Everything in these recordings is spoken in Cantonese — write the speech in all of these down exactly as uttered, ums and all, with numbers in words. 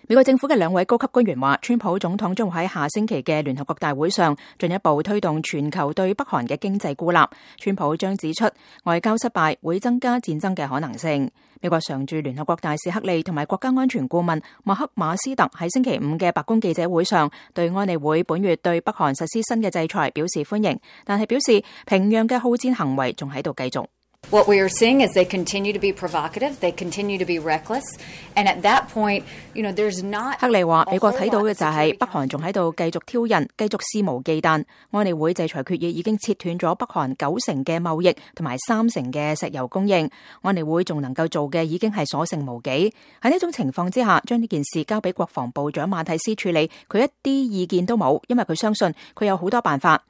美國政府嘅兩位高級官員話，川普總統將會喺下星期嘅聯合國大會上進一步推動全球對北韓嘅經濟孤立。川普將指出，外交失敗會增加戰爭嘅可能性。美國常駐聯合國大使克利同埋國家安全顧問麥克馬斯特喺星期五嘅白宮記者會上，對安理會本月對北韓實施新嘅制裁表示歡迎，但係表示平壤嘅好戰行為仲喺度繼續。What we are seeing is they continue to be provocative, they continue to be reckless, and at that point, you know, there's not. 克利話：美國睇到嘅就係北韓仲喺度繼續挑釁，繼續肆無忌憚。安理會制裁決議已經切斷咗北韓九成嘅貿易同埋三成嘅石油供應。安理會仲能夠做嘅已經係所剩無幾。喺呢種情況之下，將呢件事交俾國防部長馬蒂斯處理，佢一啲意見都冇，因為佢相信佢有好多辦法。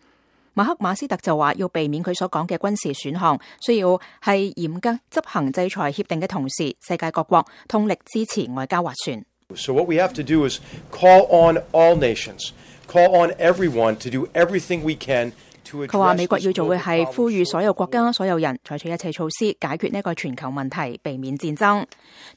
馬克馬斯特就話，要避免佢所講嘅軍事選項，需要係嚴格執行制裁協定嘅同時，世界各國通力支持外交斡旋。So what we have to do is call on all nations, call on everyone to do everything we can to address. 佢話美國要做嘅係呼籲所有國家、所有人採取一切措施，解決呢個全球問題，避免戰爭。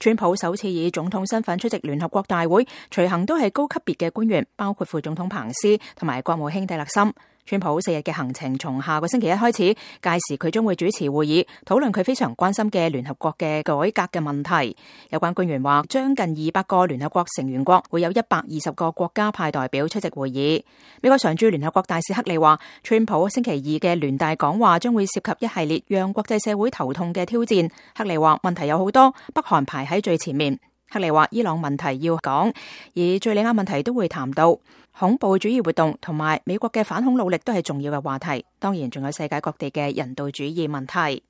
川普首次以總統身份出席聯合國大會，隨行都係高級別嘅官員，包括副總統彭斯同埋國務卿蒂勒森。川普四日嘅行程從下個星期一開始，屆時佢將會主持會議，討論佢非常關心嘅聯合國嘅改革嘅問題。有關官員話，將近二百個聯合國成員國會有一百二十個國家派代表出席會議。美國常駐聯合國大使克利話，川普星期二嘅聯大講話將會涉及一系列讓國際社會頭痛嘅挑戰。克利話，問題有好多，北韓排喺最前面。克利話，伊朗問題要講，而敘利亞問題都會談到。恐怖主義活動同埋美國嘅反恐努力都係重要嘅話題，當然仲有世界各地嘅人道主義問題。